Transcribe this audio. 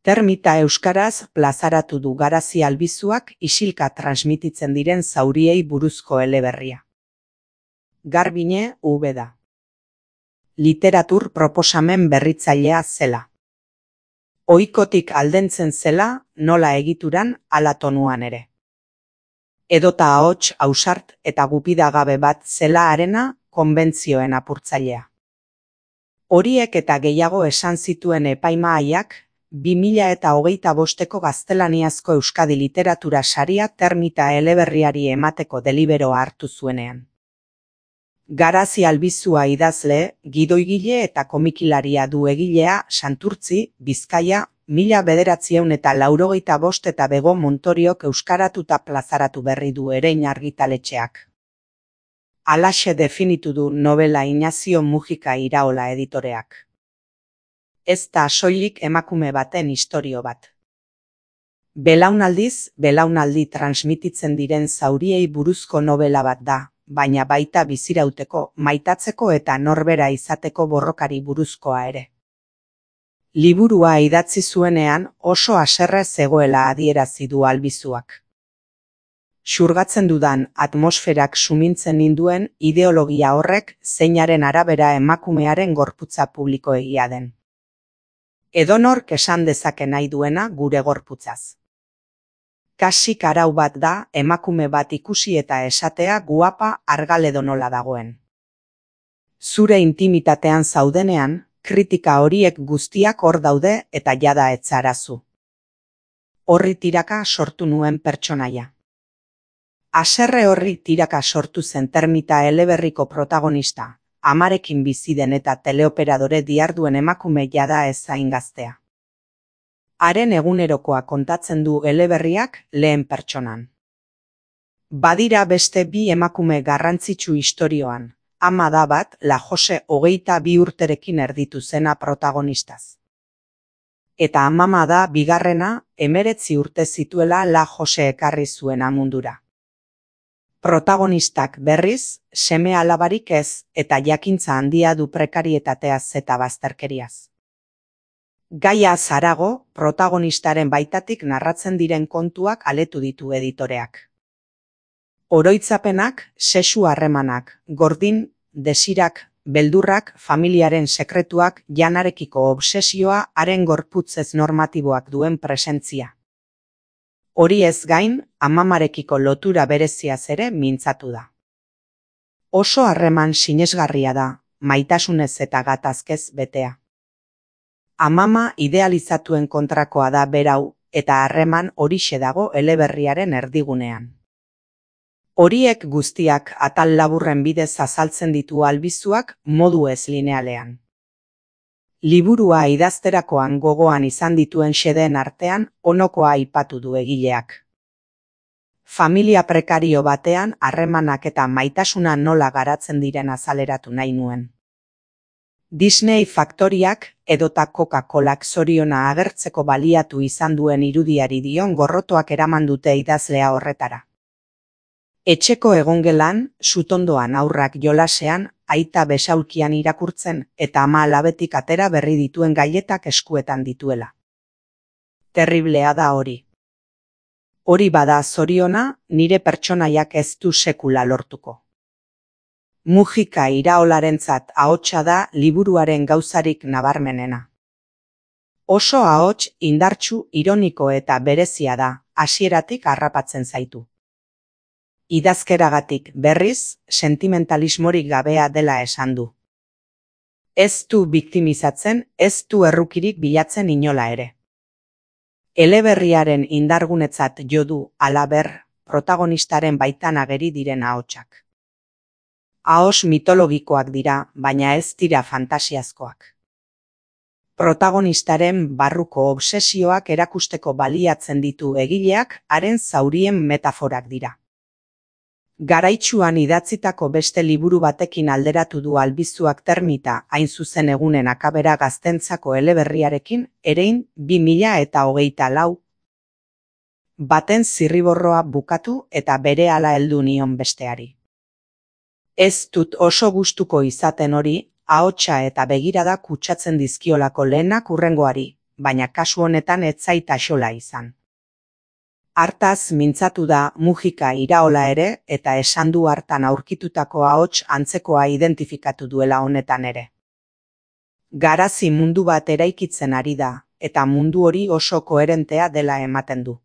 Termita euskaraz plazaratu du Garazi Albizuak isilka transmititzen diren zauriei buruzko eleberria. Garbine Ubeda. Literatur proposamen berritzailea zela. Ohikotik aldentzen zela, nola egituran, hala tonuan ere. Edota ahots ausart eta gupidagabe bat zela harena konbentzioen apurtzailea. Horiek eta gehiago esan zituen epaimahaiak, 2025ko gaztelaniazko Euskadi literatura saria Termita eleberriari emateko deliberoa hartu zuenean. Garazi Albizua idazle, gidoigile eta komikilaria du egilea Santurtzi, Bizkaia, 1985 eta Bego Montoriok euskaratuta plazaratu berri du Erein argitaletxeak. Halaxe definitu du novela Inazio Mujika Iraola editoreak. Ez da soilik emakume baten istorio bat. Belaunaldiz, belaunaldi transmititzen diren zauriei buruzko novela bat da, baina baita bizirauteko, maitatzeko eta norbera izateko borrokari buruzkoa ere. Liburua idatzi zuenean oso haserre zegoela adierazi du Albizuak. Xurgatzen dudan atmosferak sumintzen ninduen ideologia horrek zeinaren arabera emakumearen gorputza publikoegia den. Edonork esan dezake nahi duena gure gorputzaz. Kasik arau bat da emakume bat ikusi eta esatea guapa argal edonola dagoen. Zure intimitatean zaudenean, kritika horiek guztiak hor daude eta jada etzarazu. Horri tiraka sortu nuen pertsonaia. Haserre horri tiraka sortu zen Termita eleberriko protagonista, amarekin bizi den eta teleoperadore diharduen emakume jada ez zain gaztea. Haren egunerokoa kontatzen du eleberriak lehen pertsonan. Badira beste bi emakume garrantzitsu istorioan, ama da bat La Jose 22 urterekin erditu zena protagonistaz. Eta amama da bigarrena 19 urte zituela La Jose ekarri zuena mundura. Protagonistak berriz, seme alabarik ez eta jakintza handia du prekarietateaz eta bazterkeriaz. Gaia zarago, protagonistaren baitatik narratzen diren kontuak aletu ditu editoreak. Oroitzapenak, sexu harremanak, gordin, desirak, beldurrak, familiaren sekretuak, janarekiko obsesioa, haren gorputzez normatiboak duen presentzia. Hori ez gain, amamarekiko lotura bereziaz ere mintzatu da. Oso harreman sinesgarria da, maitasunez eta gatazkez betea. Amama idealizatuen kontrakoa da berau, eta harreman horixe dago eleberriaren erdigunean. Horiek guztiak atal laburren bidez azaltzen ditu Albizuak modu ez linealean. Liburua idazterakoan gogoan izan dituen xedeen artean onokoa aipatu du egileak. Familia prekario batean harremanak eta maitasuna nola garatzen diren azaleratu nahi nuen. Disney faktoriak edota Coca-Colak zoriona agertzeko baliatu izan duen irudiari dion gorrotoak eraman dute idazlea horretara. Etxeko egongelan, sutondoan aurrak jolasean, aita besaulkian irakurtzen eta ama alabetik atera berri dituen gaietak eskuetan dituela. Terriblea da hori. Hori bada zoriona, nire pertsonaiak ez du sekula lortuko. Mujika Iraolarentzat ahotsa da liburuaren gauzarik nabarmenena. Oso ahots indartsu, ironiko eta berezia da, hasieratik harrapatzen zaitu. Idazkeragatik berriz, sentimentalismorik gabea dela esan du. Ez du biktimizatzen, ez du errukirik bilatzen inola ere. Eleberriaren indargunetzat jo du, halaber, protagonistaren baitan ageri diren ahotsak. Ahos mitologikoak dira, baina ez dira fantasiazkoak. Protagonistaren barruko obsesioak erakusteko baliatzen ditu egileak, haren zaurien metaforak dira. Garaitsuan idatzitako beste liburu batekin alderatu du Albizuak Termita, hain zuzen egunen akabera gaztentzako eleberriarekin, Erein 2024. Baten zirriborroa bukatu eta berehala heldu nion besteari. Ez dut oso gustuko izaten hori, ahotsa eta begirada kutsatzen dizkiolako lehenak hurrengoari, baina kasu honetan ez zait axola izan. Hartaz mintzatu da Mujika Iraola ere eta esan du hartan aurkitutako ahots antzekoa identifikatu duela honetan ere. Garazi mundu bat eraikitzen ari da, eta mundu hori oso koherentea dela ematen du.